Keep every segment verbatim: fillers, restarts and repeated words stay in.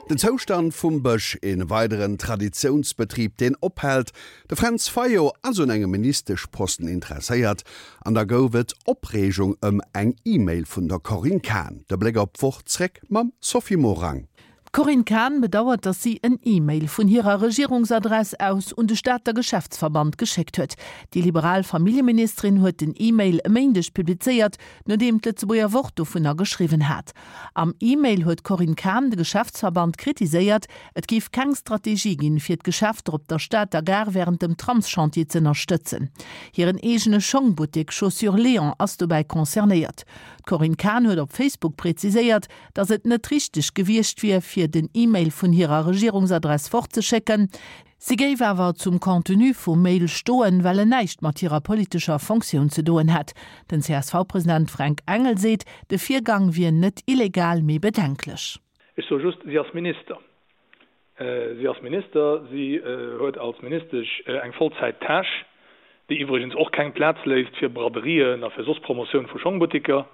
Den Zoustand vum Bësch, een weideren Traditiounsbetrib, deen ophält. De Fränz Fayot ass un engem Ministeschposten interesséiert an da gouf et Opreegung ëm eng E-Mail vun der Corinne Cahen. De Bléck op d'Woch zréck mam Sophie Morang. D'Corinne Cahen bedauert, datt si en E-Mail vun hirer Regierungsadress aus un de Stater Geschäftsverband geschéckt huet. Déi liberal Familljeministerin huet den E-Mail e Méindeg publizéiert, nodeem d'Lëtzebuerger Wort dovunner geschriwwen hat. Am E-Mail huet d'Corinne Cahen de Geschäftsverband kritiséiert, et géif keng Strategie ginn, fir d'Geschäfter op der Stater Gare wärend dem Tramschantier z'ënnerstëtzen. Hiren eegene Schongbuttek Chaussures Léon ass dobäi concernéiert. D'Corinne Cahen huet op Facebook präziséiert, datt et net richteg gewiescht wier, fir den E-Mail vun hirer Regierungsadress fortzeschécken. Si géif awer zum Contenu vum Mail stoen, well en näischt mat hirer politescher Fonctioun ze doen hätt. Den C S V-President Fränk Engel seet, de Virgang wier net illegal, mee bedenklech. Ech soe just, si ass Minister. Si ass Minister, si huet als Ministesch eng Vollzäit-Tâche, déi iwwregens och keng Plaz léisst fir Braderien a fir soss Promotioun vu Schongbuttiker.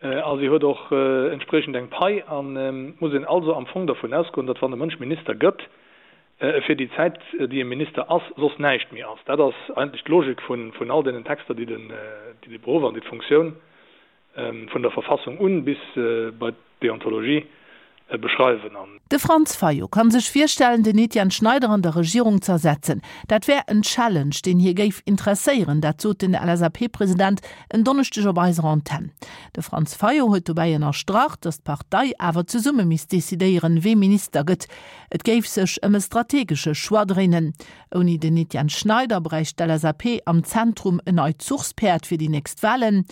A si huet och entspriechend eng Pai. An et muss een also am Fong dervun ausgoen, datt wann e Mënsch Minister gëtt, e fir déi Zäit, déi e Minister ass, soss näischt méi ass. Dat ass eigentlech d'Logik vun all deenen Texter, déi de Beruff an déi d'Funktioun vun der Verfassung un bis bei d'Deontologie beschreiwen. An. De Franz Fayot kann sech virstellen, den Etienne Schneider an der Regierung z'ersetzen. Dat wär en Challenge, deen hie géif interesséieren, dat sot den L S A P-President en Donneschdeg op eiser Antenn. De Franz Fayot huet dobäi ënnerstrach, datt d'Partei awer zesumme misst decidéieren, wee Minister gëtt. Et géif sech ëm e strategesche Choix dréinen. Ouni den Etienne Schneider bräicht d'L S A P am Zentrum en neit Zuchspäerd fir déi nächst Walen.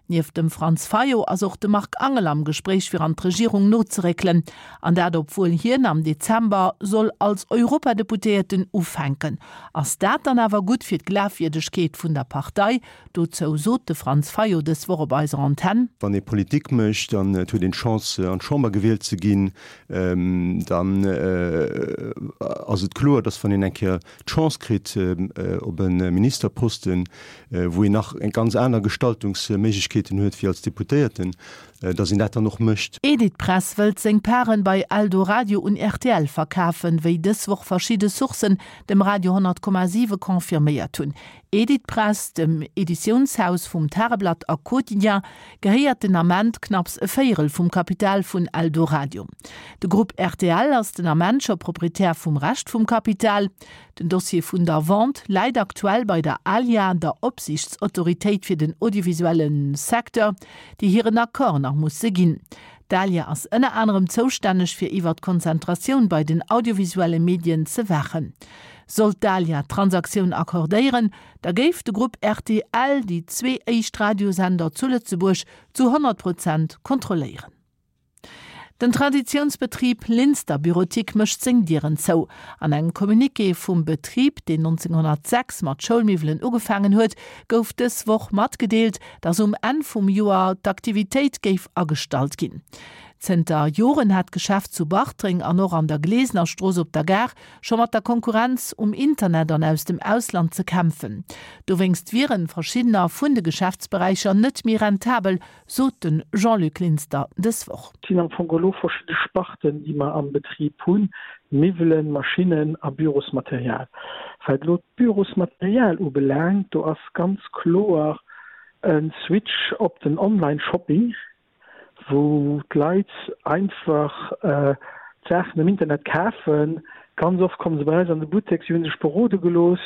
Nieft dem Franz Fayot ass och de Marc Angel am Gespréich fir an d'Regierung nozeréckelen. An dat obwuel hien am Dezember soll als Europadeputéierten ufänken. Ass dat dann awer gutt fir d'Glafwierdegkeet vun der Partei? Dozou sot de Franz Fayot dës Woch op eiser Antenn. Wann ee Politik mécht an et huet een d'Chance an d'Chamber gewielt ze ginn, dann ass et kloer, dass wann een eng Kéier d'Chance kritt op e Ministerposten, wou een nach eng ganz aner Gestaltungsméiglechkeeten huet wéi als Deputéierten, dass een dat dann och mécht. Editpress wëllt seng Paren bei Eldoradio un R T L verkafen, wéi dës Woch verschidde Sourcen dem Radio honnert Komma siwe confirméiert hunn. Editpress, dem Editiounshaus vum Tageblatt a Quotidien, gehéiert den Ament knapps e Véierel vum Kapital vun Eldoradio. De Grupp R T L ass den Ament scho Proprietär vum Rescht vum Kapital. Den Dossier vun der Vente läit aktuell bei der ALIA, der Opsiichtsautoritéit fir den audiovisuelle Secteur, déi hiren Accord nach musse ginn. D'ALIA ass ënner anerem zoustänneg fir iwwer d'Konzentratioun bei den audiovisuelle Medien ze waachen. Sollt d'ALIA d'Transaktioun accordéieren, da géif de Grupp R T L déi zwee éischt Radiosender zu Lëtzebuerg zu honnert Prozent kontrolléieren. Den Traditiounsbetrib Linster Bureautique mécht seng Dieren zou. An engem Communiqué vum Betrib, deen nonzénghonnertsechs mat Schoulmiwwelen ugefaangen huet, gouf dës Woch matgedeelt, datt um Enn vum Joer d'Aktivitéit géif agestallt ginn. Zënter Joren hat d'Geschäft zu Bartreng an och an der Glesenerstrooss op der Gare scho mat der Konkurrenz um Internet an aus dem Ausland ze kämpfen. Dowéinst wiere verschiddener vun de Geschäftsberäicher net méi rentabel, sot de Jean-Luc Linster dës Woch. Et sinn am Fong elo verschidde Sparten, déi mer am Betrib hunn, Miwwelen, Maschinnen a Bürosmaterial. Wat elo d'Bürosmaterial ubelaangt, do ass ganz kloer e Switch op den Online-Shopping, wou d'Leit einfach d'Saachen am Internet kafen. Ganz oft komme se bei eis an de Buttek, si hu sech berode gelooss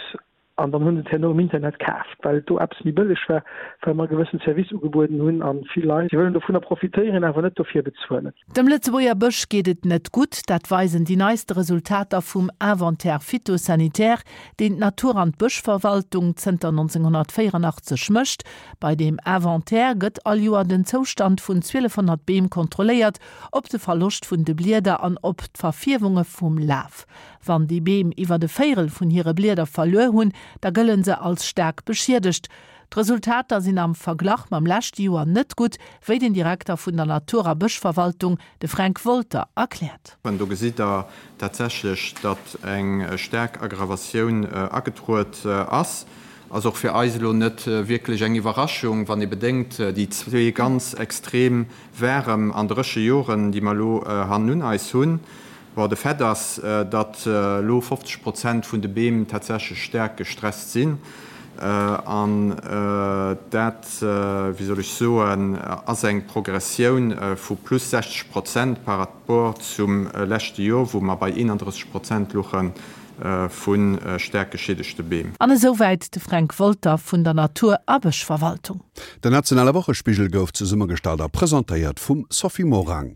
an dann hu se et herno um Internet kaaft, well et do eppes méi bëlleg war, well mer e gewëssen Service ugebueden hunn a vill Leit, déi wëllen dovunner profitéieren, awer net dofir bezuelen. Dem Lëtzebuerger Bësch geet et net gutt, dat weisen déi neiste Resultater vum Inventaire phytosanitaire, deen d'Natur an d'Bëschverwaltung zënter nonzénghonnertvéieranachtzeg mécht. Bei deem Inventaire gëtt all Joer den Zoustand vun zwielefhonnert Beem kontrolléiert, op de Verloscht vun de Blieder an op d'Verfierwunge vum Laf. Wann déi Beem iwwer e Véierel vun hire Blieder verluer hunn, da gëlle se als staark beschiedegt. D'Resultater sinn am Verglach mam leschte Joer net gutt, wéi den Direkter vun der Natur a Bëschverwaltung, de Fränk Wolter, erkläert. An do gesitt Der tatsächlech, datt eng staark Aggravatioun agetruet ass. Ass och fir eis elo net wierklech eng Iwwerraschung, wann ee bedenkt, déi zwee ganz extrem waarem an dréche Joren, déi mer elo hannun eis hunn. Bon, de Fait ass, datt elo fofzeg Prozent vun de Beem tatsächlech staark gestresst sinn. An dat, wéi soll ech soen, ass eng Progressioun vu plus sechzeg Prozent par rapport zum leschte Jor, wou mer bei eenandrësseg Prozent luche vu staark geschiedegte Beem. An esouwäit de Fränk Wolter vun der Natur a Bëschverwaltung. Den nationale Wochespigel gouf zesummegestallt a presentéiert vum Sophie Morang.